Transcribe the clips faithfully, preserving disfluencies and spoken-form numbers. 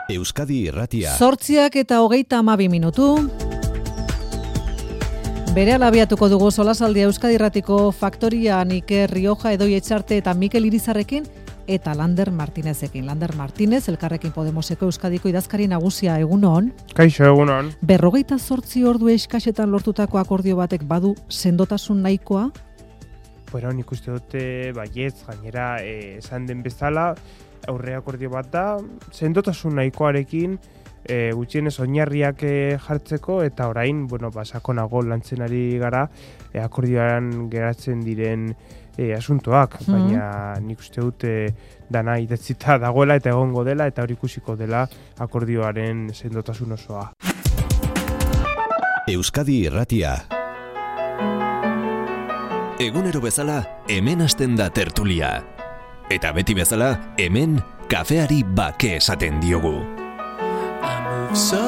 Euskadi Irratia. Zortziak eta hogeita hamabi minutu. Berehala abiatuko dugu solasaldia Euskadi Irratiko Faktorian Iker Rioja, Edoi Etxarte eta Mikel Irizarrekin eta Lander Martinezekin. Lander Martinez, Elkarrekin Podemoseko Euskadiko idazkari nagusia, egunon. Kaixo, egunon. Berrogeita zortzi ordu eskasetan lortutako akordio batek badu sendotasun nahikoa? Bueno, nik uste dute baietz, gainera eh, esan den bezala, aurre akordio bat da, sendotasun nahikoarekin e, gutxienez oinarriak e, jartzeko, eta orain, bueno, ba, sakonago lantzen ari gara e, akordioan geratzen diren e, asuntoak, mm. baina nik uste dute dana idatzita dagoela eta egongo dela, eta hori ikusiko dela akordioaren sendotasun osoa. Euskadi Irratia. Egunero bezala, hemen hasten da tertulia. Eta beti bezala, hemen kafeari bake esaten diogu. I moved so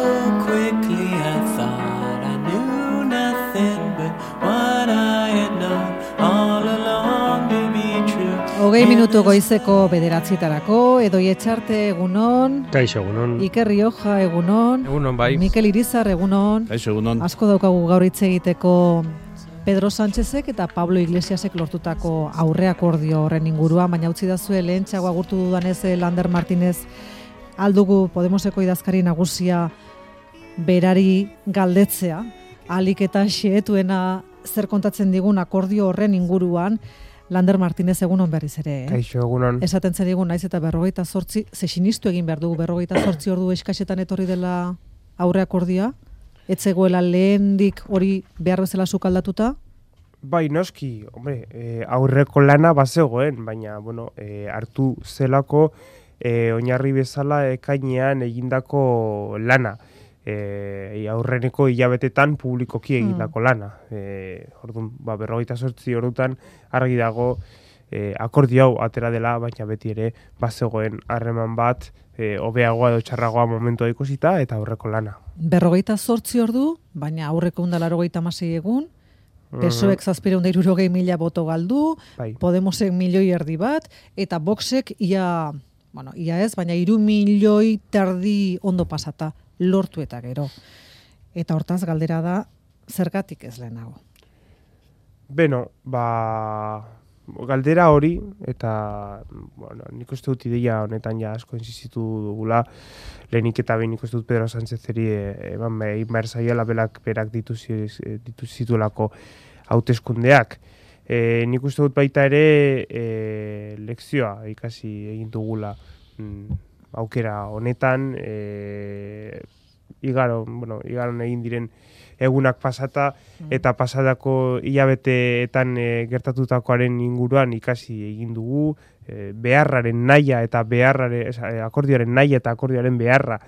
quickly I thought I knew nothing but what I had known all along to be true. Hogei minutu goizeko bederatzietarako, Edoi Etxarte egunon. Kaixo, egunon. Iker Rioja egunon. Egunon, bai. Mikel Irizar egunon. Kaixo, egunon. Asko daukagu gaur hitz egiteko Pedro Sánchezek eta Pablo Iglesiasek lortutako aurreakordio horren inguruan, baina utzi dazue lehentxago agurtu dudanez Lander Martinez aldugu Podemoseko idazkari nagusia berari galdetzea, alik eta xeetuena zer kontatzen digun akordio horren inguruan. Lander Martinez egunon berriz ere. Eh? Kaixo, egunon. Esaten zer digun naiz eta berrogeita zortzi, ze sinistu egin behar dugu berrogeita zortzi ordu eskasetan etorri dela aurreakordioa? Etzegoela lehendik hori behar bezala sukaldatuta? Bai, noski, hombre, e, aurreko lana bazegoen, baina, bueno, e, hartu zelako e, oinarri bezala ekainean egindako lana. E, aurreneko hilabetetan publikoki egindako hmm. lana. E, orduan, ba, berrogeita zortzi ordutan argi dago e, akordio hau atera dela, baina beti ere bazegoen harreman bat, e, hobeagoa edo txarragoa momentua ikusita eta aurreko lana. Berrogeita zortzi ordu, baina aurreko unda larogeita hamasei egun, P S O Ek zazpiehun eta hirurogei mila boto galdu, bai. Podemosek milioi erdi bat, eta Voxek ia, bueno, ia ez, baina hiru milioi terdi ondo pasata lortu eta gero. Eta hortaz galdera da, zergatik ez lehenago? Beno, ba... Galdera hori, eta bueno, nik uste dut ideia honetan ja asko insistitu dugula, lehenik eta behin nik uste dut Pedro Sánchezeri eman egin behar zaiela berak, berak ditu, ditu zituelako hauteskundeak. E, nik uste dut baita ere e, lekzioa ikasi egin dugula mm, aukera honetan, e, igaro, bueno, igaron egin diren egunak pasata eta pasadako hilabeteetan e, gertatutakoaren inguruan ikasi egin dugu, e, beharraren naia eta beharraren, e, akordioaren naia eta akordioaren beharra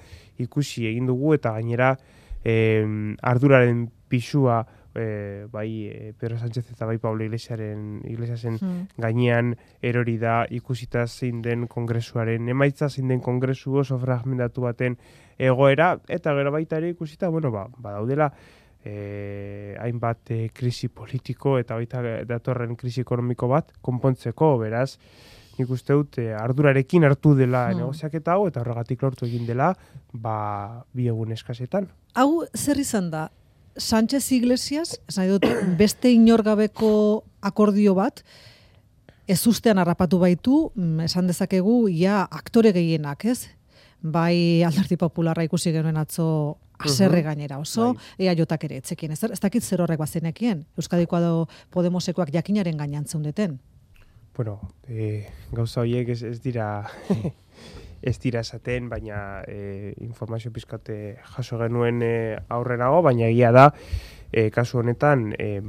ikusi egin dugu, eta gainera e, arduraren pisua e, bai e, Pedro Sánchez eta bai Pablo Iglesiaren, Iglesiasen hmm. gainean erori da, ikusita zein den kongresuaren emaitza, zein den kongresu oso fragmentatu baten egoera, eta gero baita ere ikusita, bueno, ba, badaudela Eh, hainbat eh, krisi politiko eta baita datorren krisi ekonomiko bat konpontzeko, beraz nik uste dut eh, ardurarekin hartu dela hmm. negoziaketa hau, eta horregatik lortu egin dela ba, bi egun eskasetan. Hau zer izan da? Sánchez Iglesias, esan dut, beste inorgabeko akordio bat, ez ustean harrapatu baitu, esan dezakegu, ia aktore gehienak, ez? Bai Alderdi Popularra ikusi genuen atzo haserre gainera oso, bai. Ea jotak ere etzekien. Ez, ez dakit zer horrek bazenekien. Euskadikoa do Podemosekoak jakinaren gainean zeundeten. Bueno, e, gauza horiek ez, ez dira ez dira esaten, baina e, informazio pizkate jaso genuen e, aurrenago, baina egia da, e, kasu honetan, e,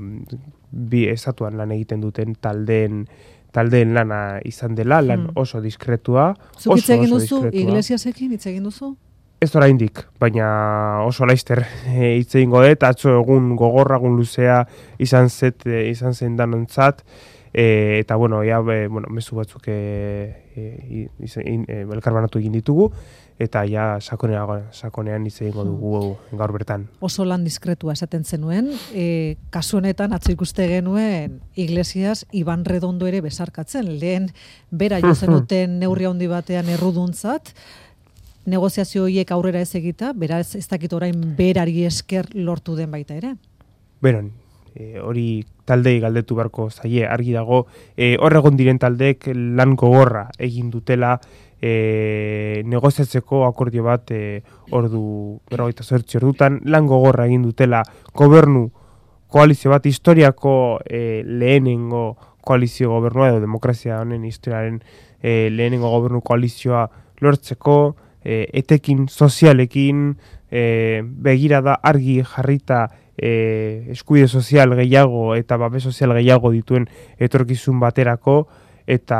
bi estatuan lan egiten duten taldeen taldeen lana izan dela, lan hmm. oso diskretua. Zuk hitz egin duzu, Iglesiasekin hitz egin duzu? Ez oraindik, baina oso laizter hitz egingo dut, atzo egun gogorragun luzea izan zet, izan zen danontzat, e, eta bueno, ja, be, bueno, mezu batzuk e, e, e, elkarbanatu egin ditugu, eta ja sakonean, sakonean hitz egingo dugu gaur bertan. Oso lan diskretua esaten zenuen, e, kasu honetan atzo ikuste genuen Iglesias Iban Redondo ere besarkatzen, lehen bera jo zenuten neurri handi batean erruduntzat, negoziazio horiek aurrera ez egita, beraz ez dakit orain berari esker lortu den baita ere. Beron, e, hori taldei galdetu beharko zaie, argi dago, e, hor egon diren taldeek lan gogorra egin dutela e, negoziatzeko akordio bat e, ordu, berrogeita zortzi ordutan, lan gogorra egin dutela gobernu koalizio bat, historiako e, lehenengo koalizio gobernua edo demokrazia honen historiaren e, lehenengo gobernu koalizioa lortzeko, e, etekin sozialekin, e, begirada argi jarrita e, eskubide sozial gehiago eta babes sozial gehiago dituen etorkizun baterako, eta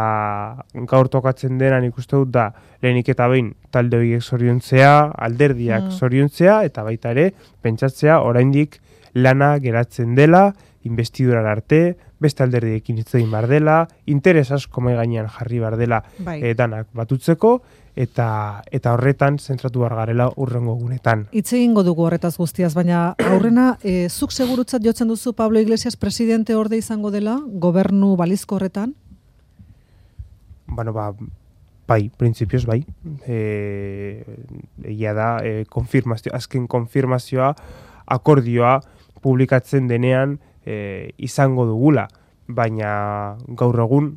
gaur tokatzen dena nik uste dut da lehenik eta behin talde horiek zoriontzea, alderdiak Mm. zoriontzea, eta baita ere pentsatzea oraindik lana geratzen dela, investidurar arte, beste alderdiekin hitz egin behar dela, interes asko mahai gainean jarri behar dela Bai. e, danak batutzeko, eta eta horretan zentratu behar garela urrengo gunetan. Hitz egingo dugu horretaz guztiaz, baina aurrena, e, zuk segurutzat jotzen duzu Pablo Iglesias presidente orde izango dela, gobernu balizko horretan? Bueno, ba, bai, printzipioz bai. E, egia da, e, konfirmazio, azken konfirmazioa, akordioa publikatzen denean e, izango dugula, baina gaur egun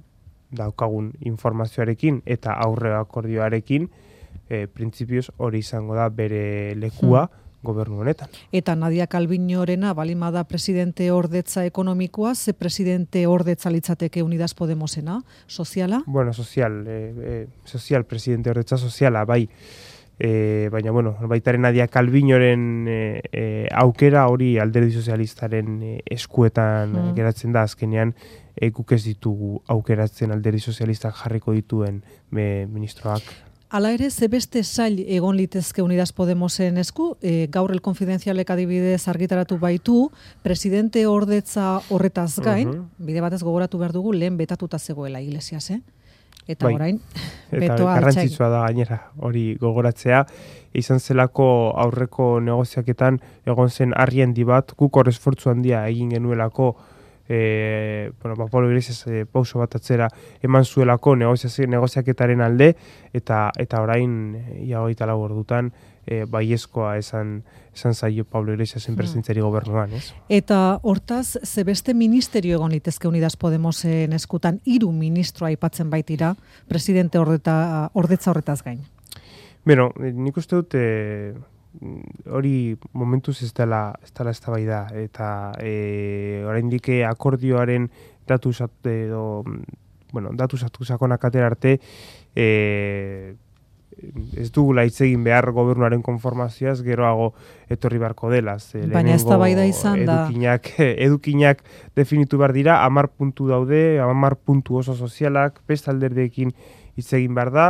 daukagun informazioarekin eta aurre akordioarekin e, printzipioz hori izango da bere lekua gobernu honetan. Eta Nadia Calviñorena balimada presidente ordetza ekonomikoa, ze presidente ordetza litzateke Unidas Podemosena, soziala? Bueno, sozial, e, e, sozial, presidente ordetza soziala, bai. E, baina, bueno, baitaren Nadia Calviñoren e, e, aukera hori alderdi sozialistaren e, eskuetan Mm. geratzen da, azkenean e, guk ez ditugu aukeratzen alderdi sozialistak jarriko dituen e, ministroak. Hala ere, ze beste sail egon litezke Unidas Podemosen esku, e, gaur el konfidenzialek adibidez argitaratu baitu, presidente ordetza horretaz gain, Mhm. bide batez gogoratu behar dugu, lehen betatuta zegoela Iglesias, eh? Eta Bai. orain, Eta betoa garrantzitsua da gainera hori gogoratzea, izan zelako aurreko negoziaketan egon zen harri handi bat, guk hor esfortzu handia egin genuelako, e, bueno, ba, Pablo Iglesias e, pauso bat atzera eman zuelako negoziazio negoziaketaren alde, eta eta orain e, ia hogeita lau ordutan e, baiezkoa esan esan zaio Pablo Iglesiasen Hmm. presentzari gobernuan, ez? Eta hortaz, ze beste ministerio egon litezke Unidas Podemosen eskutan, hiru ministro aipatzen baitira, presidente ordeta, ordetza horretaz gain. Beno, eh, nik uste dut eh, hori momentuz ez dela ez dela eztabaida, eta eh, oraindik akordioaren datu sat- edo bueno, datu satu sakonak atera arte eh, ez dugula hitz egin behar gobernuaren konformazioaz geroago etorri beharko dela. Ze Baina lehenengo eztabaida izan da. edukinak, edukinak definitu behar dira, hamar puntu daude, hamar puntu oso sozialak, beste alderdiekin hitz egin behar da,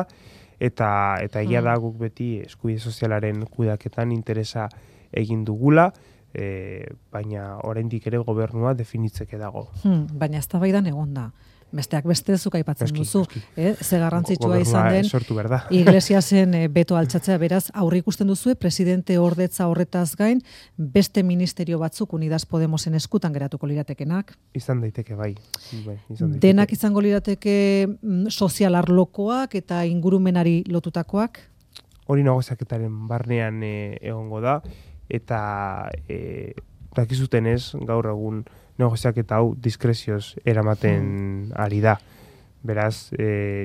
eta eta egia da guk beti eskubide sozialaren kudeaketan interesa egin dugula, e, baina oraindik ere gobernua definitzeke dago. Hmm, baina eztabaidan egon da. Besteak beste zuk aipatzen Noski, duzu, noski. eh? Ze garrantzitsua Gobernua izan den sortu behar da. Iglesiasen eh, beto altxatzea, beraz, aurre ikusten duzue, presidente ordetza horretaz gain, beste ministerio batzuk Unidas Podemosen eskutan geratuko liratekenak. Izan daiteke bai. bai izan daiteke. Denak izango lirateke mm, sozial arlokoak eta ingurumenari lotutakoak. Hori negoziaketaren barnean e, egongo da, eta e, dakizuten ez, gaur egun negoziaketa hau diskrezioz eramaten ari da. Beraz, e,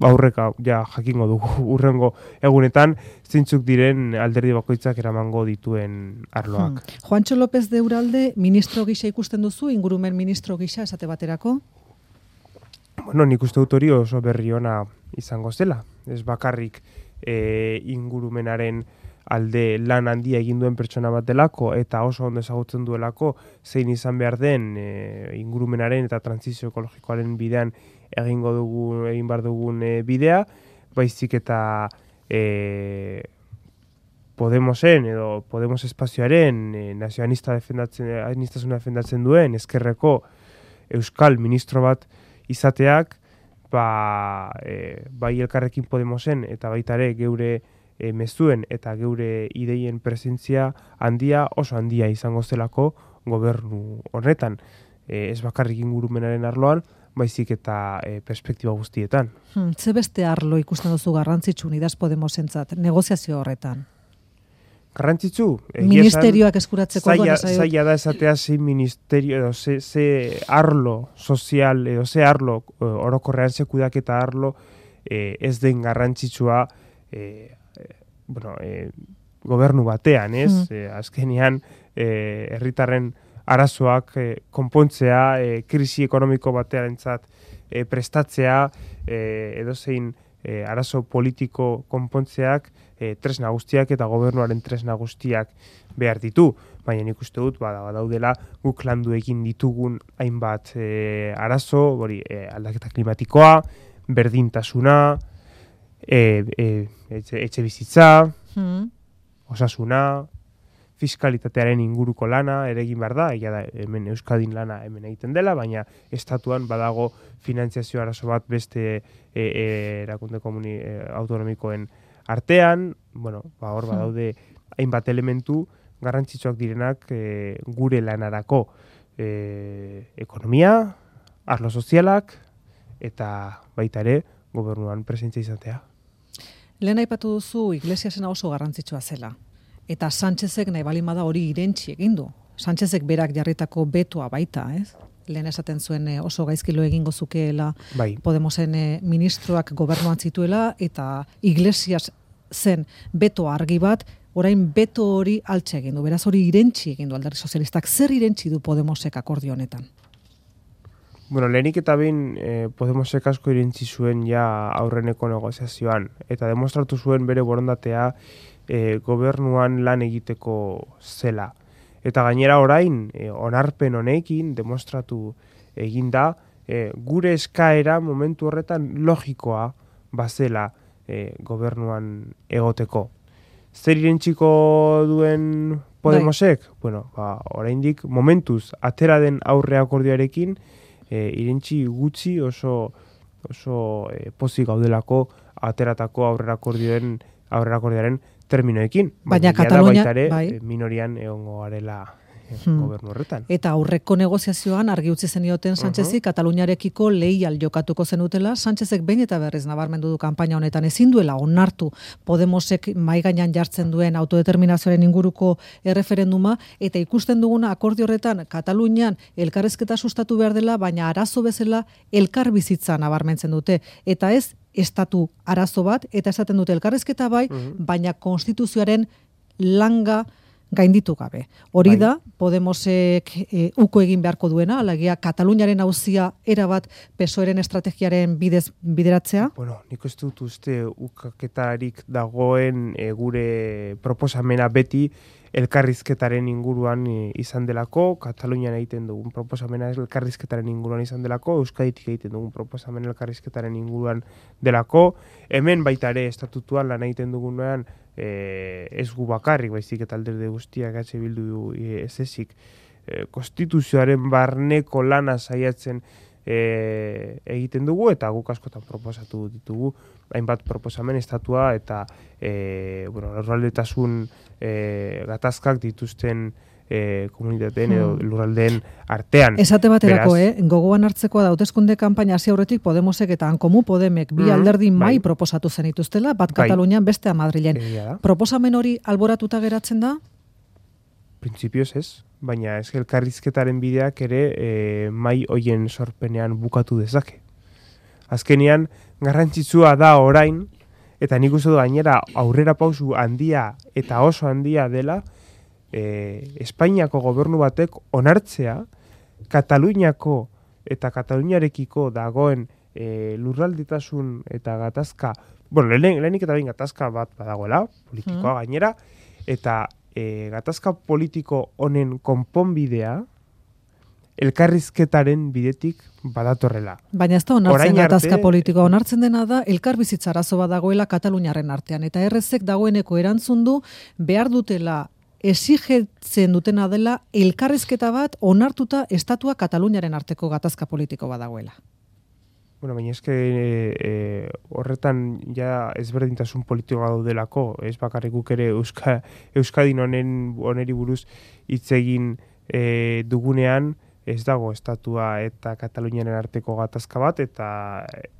aurreka ja jakingo dugu urrengo egunetan zeintzuk diren alderdi bakoitzak eramango dituen arloak. Hmm. Juancho López de Uralde ministro gisa ikusten duzu, ingurumen ministro gisa esate baterako? Bueno, nik uste dut hori oso berri ona izango zela. Ez bakarrik e, ingurumenaren alde lan handia egin duen pertsona bat delako eta oso ondo ezagutzen duelako zein izan behar den e, ingurumenaren eta trantsizio ekologikoaren bidean egingo dugu egin behar dugun e, bidea, baizik eta e, Podemosen edo Podemos espazioaren e, nazionalista defendatzen, aniztasuna defendatzen duen ezkerreko euskal ministro bat izateak, ba, e, bai Elkarrekin Podemosen eta baita ere geure e, mezuen eta geure ideien presentzia handia, oso handia izango zelako gobernu honetan. e, ez bakarrik ingurumenaren arloan, baizik eta e, perspektiba guztietan. Hmm, ze beste arlo ikusten duzu garrantzitsu Unidas Podemosentzat negoziazio horretan? Garrantzitsu? Ministerioak eskuratzeko zaila, orduan zaila da esatea ze ministerio edo ze, ze arlo sozial edo ze arlo orokorrean ze kudeaketa arlo e, ez den garrantzitsua e, e, bueno, e, gobernu batean, ez? Mm. E, azkenean e, herritarren arazoak e, konpontzea, e, krisi ekonomiko batearentzat e, prestatzea, e, edozein e, arazo politiko konpontzeak e, tresna guztiak eta gobernuaren tresna guztiak behar ditu. Baina nik uste dut, bada, badaudela guk landu egin ditugun hainbat e, arazo, hori e, aldaketa klimatikoa, berdintasuna, e, e, etxe, etxe bizitza, mm. osasuna, fiskalitatearen inguruko lana ere egin behar da, egia da hemen Euskadin lana hemen egiten dela, baina estatuan badago finantziazio arazo bat beste e, e, erakunde komuni e, autonomikoen artean, bueno, ba, hor badaude hainbat elementu garrantzitsuak direnak e, gure lanarako e, ekonomia, arlo sozialak eta baita ere gobernuan presentzia izatea. Lehen aipatu duzu Iglesiasena oso garrantzitsua zela. Eta Sánchezek nahi balimada hori irentsi egin du. Sánchezek berak jarritako betoa baita, ez? Lehen esaten zuen oso gaizkilo egingo zukeela bai. Podemosen ministroak gobernuan zituela eta Iglesias zen beto argi bat, orain beto hori altxe egin du. Beraz hori irentsi egin du Alderdi Sozialistak. Zer irentsi du Podemosek akordio honetan? Bueno, lehenik eta behin eh, Podemosek asko irentzi zuen ja aurreneko negoziazioan eta demostratu zuen bere borondatea eh, gobernuan lan egiteko zela. Eta gainera orain eh, onarpen honekin demostratu egin da eh, gure eskaera momentu horretan logikoa bazela eh, gobernuan egoteko. Zer irentziko duen Podemosek? Bai. Bueno, ba, oraindik momentuz atera den aurre akordioarekin E, irentzi gutxi oso, oso e, pozik gaudelako ateratako aurrerakordioen aurrerakordioaren terminoekin. Baina Katalunia bai. Minorian egongo garela hmm. gobernu horretan. Eta aurreko negoziazioan argi utzi zenioten Sánchezi uh-huh. Kataluniarekiko leial jokatuko zenutela. Sánchezek behin eta berriz nabarmendu du kanpaina honetan ezin duela onartu Podemosek mai gainean jartzen duen autodeterminazioaren inguruko erreferenduma eta ikusten duguna akordio horretan Katalunian elkarrizketa sustatu behar dela, baina arazo bezala elkar bizitza nabarmentzen dute eta ez estatu arazo bat eta esaten dute elkarrizketa bai, uh-huh. baina konstituzioaren langa gainditu gabe. Hori bai. Da, Podemosek e, uko egin beharko duena, alagia Kataluniaren auzia erabat P S O E-ren estrategiaren bidez bideratzea? Bueno, nik ez dut uste ukaketarik dagoen e, gure proposamena beti elkarrizketaren inguruan e, izan delako, Katalunian egiten dugun proposamena elkarrizketaren inguruan izan delako, Euskaditik egiten dugun proposamen elkarrizketaren inguruan delako, hemen baita ere estatutuan lan egiten dugunean E, ez gu bakarrik, baizik eta alderdi guztiak H Bildu e, ez ezik e, konstituzioaren barneko lana saiatzen e, egiten dugu eta guk askotan proposatu ditugu hainbat proposamen estatua eta e, bueno, lurraldetasun e, gatazkak dituzten E, komunitateen edo lurraldeen artean. Esate baterako, eh? Gogoan hartzekoa da hauteskunde kanpaina hasi aurretik Podemosek eta Hankomu Podemek bi alderdi mm, mai bai. Proposatu zenituztela, bat bai. Katalunian bestea Madrilen. Proposamen hori alboratuta geratzen da? Printzipioz ez, baina ez elkarrizketaren bideak ere e, mai hoien sorpenean bukatu dezake. Azkenean garrantzitsua da orain eta nik uste du gainera aurrera pausu handia eta oso handia dela E, Espainiako gobernu batek onartzea Kataluniako eta Kataluniarekiko dagoen e, lurralditasun eta gatazka, bueno, lehen, lehenik eta behin gatazka bat badagoela, politikoa mm. gainera, eta e, gatazka politiko honen konponbidea elkarrizketaren bidetik badatorrela. Baina ez da onartzen gatazka arte, politikoa, onartzen dena da elkarbizitza arazo bat dagoela Kataluniaren artean, eta errezek dagoeneko erantzun du behar dutela exigetzen dutena dela elkarrizketa bat onartuta estatua Kataluniaren arteko gatazka politiko badagoela. Bueno, baina eske e, e, horretan ja ezberdintasun politikoa daudelako, ez bakarrik guk ere Euska, Euskadin honen oneri buruz hitz egin e, dugunean ez dago estatua eta Kataluniaren arteko gatazka bat, eta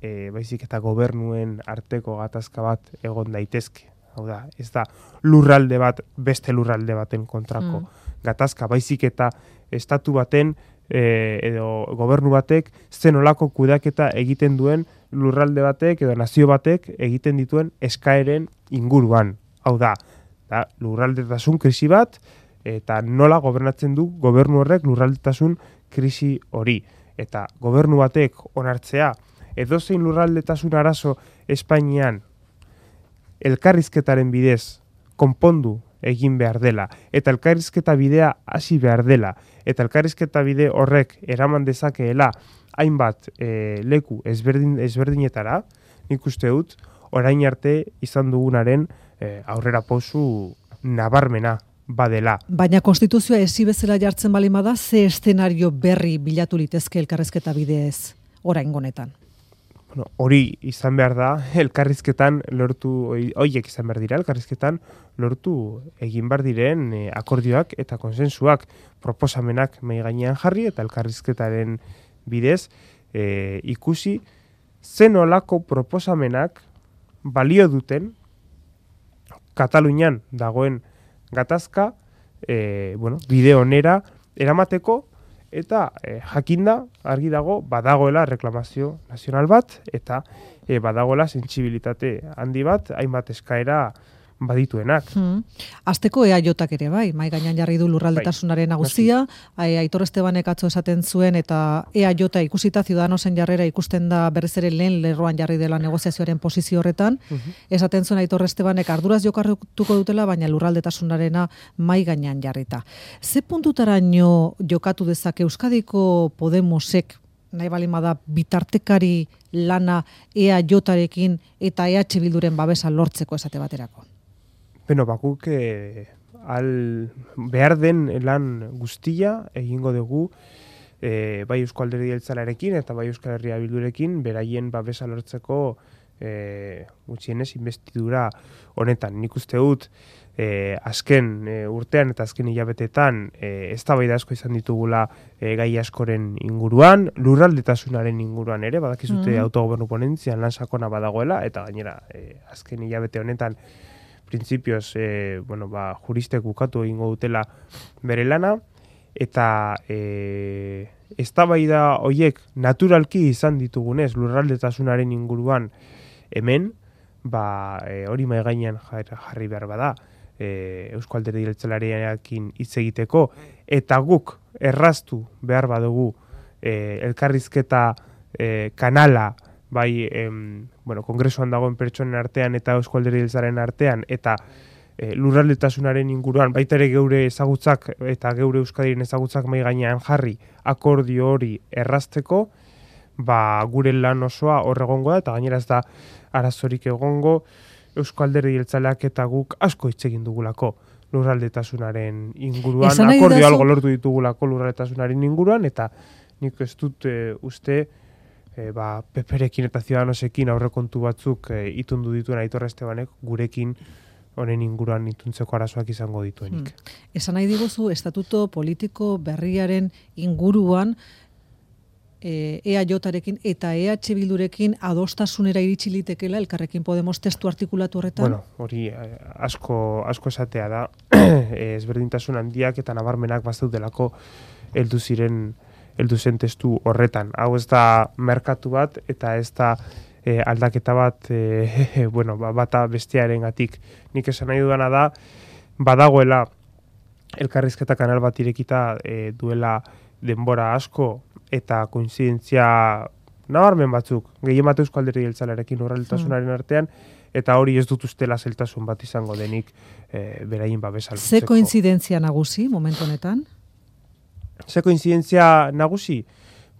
e, baizik eta gobernuen arteko gatazka bat egon daitezke. Hau da, ez da lurralde bat beste lurralde baten kontrako mm. gatazka, baizik eta estatu baten e, edo gobernu batek zen olako kudeaketa egiten duen lurralde batek edo nazio batek egiten dituen eskaeren inguruan. Hau da, da lurraldetasun krisi bat, eta nola gobernatzen du gobernu horrek lurraldetasun krisi hori. Eta gobernu batek onartzea, edozein lurraldetasun arazo Espainian elkarrizketaren bidez konpondu egin behar dela, eta elkarrizketa bidea hasi behar dela, eta elkarrizketa bide horrek eraman dezakeela hainbat e, leku ezberdin, ezberdinetara, nik uste dut, orain arte izan dugunaren e, aurrera pausu nabarmena badela. Baina konstituzioa ezi bezala jartzen bali bada, ze eszenario berri bilatu litezke elkarrizketa bidez orain honetan? Bueno, hori izan behar da, elkarrizketan lortu, horiek izan behar dira, elkarrizketan lortu egin behar diren e, akordioak eta konsensuak, proposamenak mai gainean jarri eta elkarrizketaren bidez e, ikusi zen olako proposamenak balio duten Katalunian dagoen gatazka e, bueno, bide onera eramateko, eta e, jakinda argi dago badagoela reklamazio nazional bat eta e, badagoela sentsibilitate handi bat hainbat eskaera badituenak. Hmm. Azteko E A J ere bai, mai gainean jarri du lurraldetasunaren nagusia, bai. Aitor Estebanek atzo esaten zuen eta E A J ikusita Ciudadanosen jarrera ikusten da berriz ere lehen lerroan jarri dela negoziazioaren posizio horretan, uh-huh. esaten zuen Aitor Estebanek arduraz jokartuko dutela, baina lurraldetasunarena mai gainean jarrita. Ze puntutaraino jokatu dezake Euskadiko Podemosek nahi balimada bitartekari lana E A Jarekin eta E H Bilduren babesa lortzeko esate baterako? Beno, bakuk eh, al behar den lan guztia egingo dugu eh, bai Eusko Alderdi Jeltzalearekin eta bai Euskal Herria Bildurekin beraien babesa lortzeko eh, gutxienez investidura honetan. Nik uste dut eh, azken eh, urtean eta azken hilabetetan eh, eztabaida asko izan ditugula eh, gai askoren inguruan, lurraldetasunaren inguruan ere, badakizute mm. autogobernu ponentzian lan sakona badagoela, eta gainera eh, azken hilabete honetan printzipioz, e, bueno, ba, juristek bukatu egingo dutela bere lana, eta e, eztabaida horiek naturalki izan ditugunez lurraldetasunaren inguruan hemen, ba, e, hori mai gainean jarri behar bada, e, Eusko Alderdi Jeltzalearekin hitz egiteko, eta guk erraztu behar badugu e, elkarrizketa e, kanala, bai, em, bueno, kongresuan dagoen pertsonen artean eta Eusko Alderdi Jeltzalearen artean, eta e, lurraldetasunaren inguruan, baita ere geure ezagutzak eta geure Euskadiren ezagutzak mai gainean jarri akordio hori errazteko, ba, gure lan osoa hor egongo da, eta gainera ez da arazorik egongo Eusko Alderdi Jeltzaleak eta guk asko hitz egin dugulako lurraldetasunaren inguruan, akordio algo lortu ditugulako lurraldetasunaren inguruan, eta nik ez dut e, uste E, ba, Peperekin eta Ciudadanosekin aurrekontu batzuk e, itundu dituen Aitor Estebanek gurekin honen inguruan ituntzeko arazoak izango dituenik. Hmm. Esan nahi diguzu, estatuto politiko berriaren inguruan e, E A Jarekin eta E H Bildurekin adostasunera iritsi litekela Elkarrekin Podemos testu artikulatu horretan? Bueno, hori eh, asko, asko esatea da, e, ezberdintasun handiak eta nabarmenak bazaudelako heldu ziren heldu zen testu horretan. Hau ez da merkatu bat eta ez da e, aldaketa bat e, bueno, ba, bata bestearengatik. Nik esan nahi dudana da badagoela elkarrizketa kanal bat irekita e, duela denbora asko eta koinzidentzia nabarmen batzuk gehien bat Eusko Alderdi Jeltzalearekin lurraldetasunaren artean, eta hori ez dut ustela zeltasun bat izango denik e, beraien babesa lortzeko. Ze koinzidentzia nagusi momentu honetan? Ze koinzidentzia nagusi?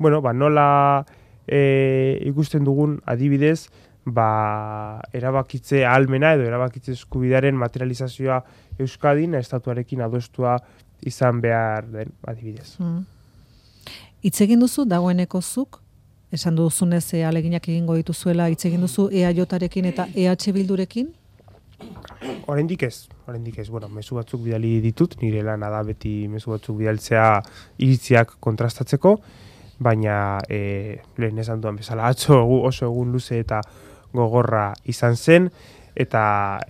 Bueno, ba, nola e, ikusten dugun adibidez, ba, erabakitze ahalmena edo erabakitze eskubidearen materializazioa Euskadin estatuarekin adostua izan behar den adibidez. Hmm. Hitz egin duzu dagoeneko zuk, esan duzunez e, aleginak egingo dituzuela, hitz egin duzu E A Jarekin eta E H Bildurekin? Oraindik ez, oraindik ez. Bueno, mezu batzuk bidali ditut, nire lana da beti mezu batzuk bidaltzea iritziak kontrastatzeko, baina e, lehen esan duan bezala atzo oso egun luze eta gogorra izan zen, eta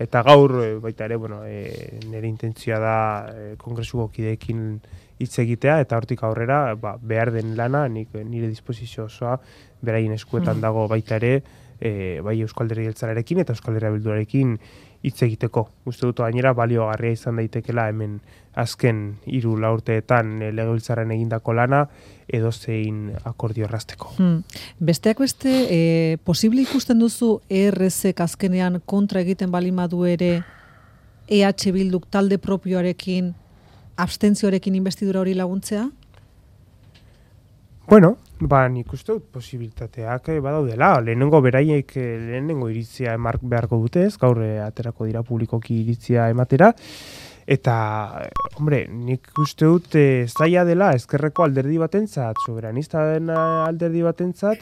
eta gaur baita ere, bueno, e, nire intentzioa da e, kongresuko kideekin hitz egitea, eta hortik aurrera ba, behar den lana, nik, nire disposizio osoa beraien eskuetan dago baita ere, e, bai Euskal Alderdi Jeltzalearekin eta Euskal Herria Bilduarekin hitz egiteko. Uste dut gainera baliogarria izan daitekela hemen azken hiru lau urteetan e, legebiltzarren egindako lana edozein akordio errazteko. Hmm. Besteak beste, e, posible ikusten duzu E R Zek azkenean kontra egiten balimadu ere E H Bilduk talde propioarekin abstentzioarekin investidura hori laguntzea? Bueno, ba, nik uste dut posibilitateak eh, badaudela. Lehenengo beraiek eh, lehenengo iritzia emark beharko dute ez, gaur eh, aterako dira publikoki iritzia ematera. Eta, hombre, nik uste dut eh, zaila dela ezkerreko alderdi batentzat, soberanista den alderdi batentzat,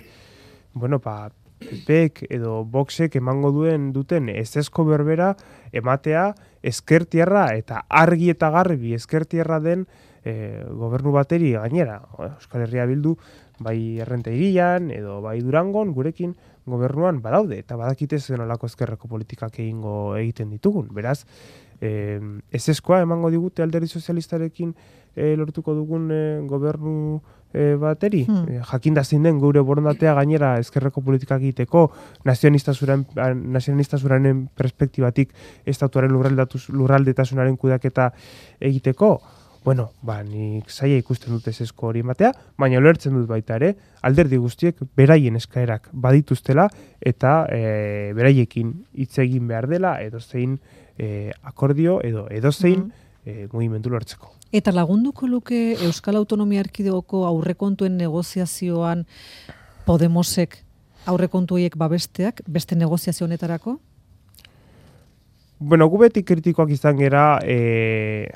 bueno, ba, P Pek edo Voxek emango duen duten ezezko berbera ematea ezkertierra eta argi eta garbi ezkertierra den e, gobernu bateri gainera. Euskal Herria Bildu bai Errenterian edo bai Durangon gurekin gobernuan badaude eta badakite zen olako ezkerreko politikak egingo egiten ditugun. Beraz, e, ezezkoa emango digute alderdi sozialistarekin e, lortuko dugun e, gobernu e, bateri. Hmm. E, jakinda zein den gure borondatea gainera ezkerreko politikak egiteko nazionalistazuranen perspektibatik estatuaren lurraldetasunaren kudaketa egiteko. Bueno, ba, nik zaila ikusten dut ezezko hori ematea, baina ulertzen dut baita ere, alderdi guztiek beraien eskaerak badituztela eta e, beraiekin hitz egin behar dela edozein e, akordio edo edozein mm. e, mugimendu lortzeko. Eta lagunduko luke Euskal Autonomia Erkidegoko aurrekontuen negoziazioan Podemosek aurrekontu horiek babesteak beste negoziazio honetarako? Bueno, gu beti kritikoak izan gera e,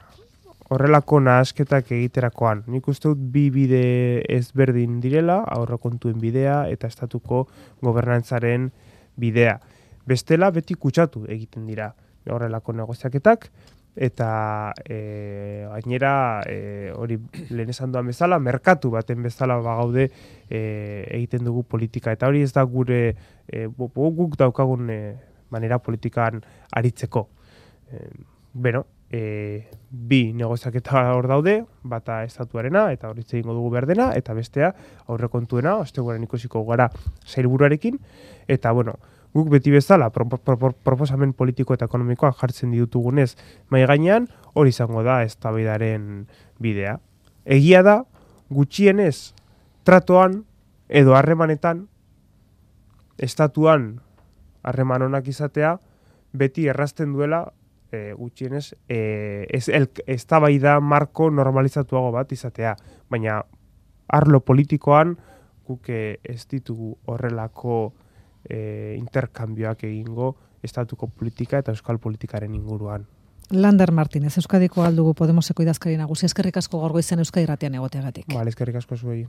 horrelako nahasketak egiterakoan. Nik uste dut bi bide ezberdin direla, aurrekontuen bidea eta estatuko gobernantzaren bidea. Bestela beti kutsatu egiten dira horrelako negoziaketak, eta e, gainera e, hori lehen esan duan bezala, merkatu baten bezala bagaude e, egiten dugu politika. Eta hori ez da gure e, guk daukagun e, manera politikan aritzeko. E, beno, E, bi negoziaketa hor daude, bata estatuarena eta hori egingo dugu berdena, eta bestea aurrekontuena, osteguaren ikusiko gara sailburuarekin, eta bueno, guk beti bezala pro, pro, pro, proposamen politiko eta ekonomikoak jartzen ditugunez mai gainean, hori izango da eztabaidaren bidea. Egia da, gutxienez tratoan edo harremanetan estatuan harreman onak izatea beti errazten duela E, gutxienez, e, ez eztabaida marko normalizatuago bat izatea. Baina arlo politikoan guk ez ditugu horrelako e, interkambioak egingo estatuko politika eta euskal politikaren inguruan. Lander Martínez, Euskadiko aldugu Podemoseko idazkari nagusi, eskerrik asko gaur goizean Euskadi Irratian egoteagatik. Vale, eskerrik asko zuei.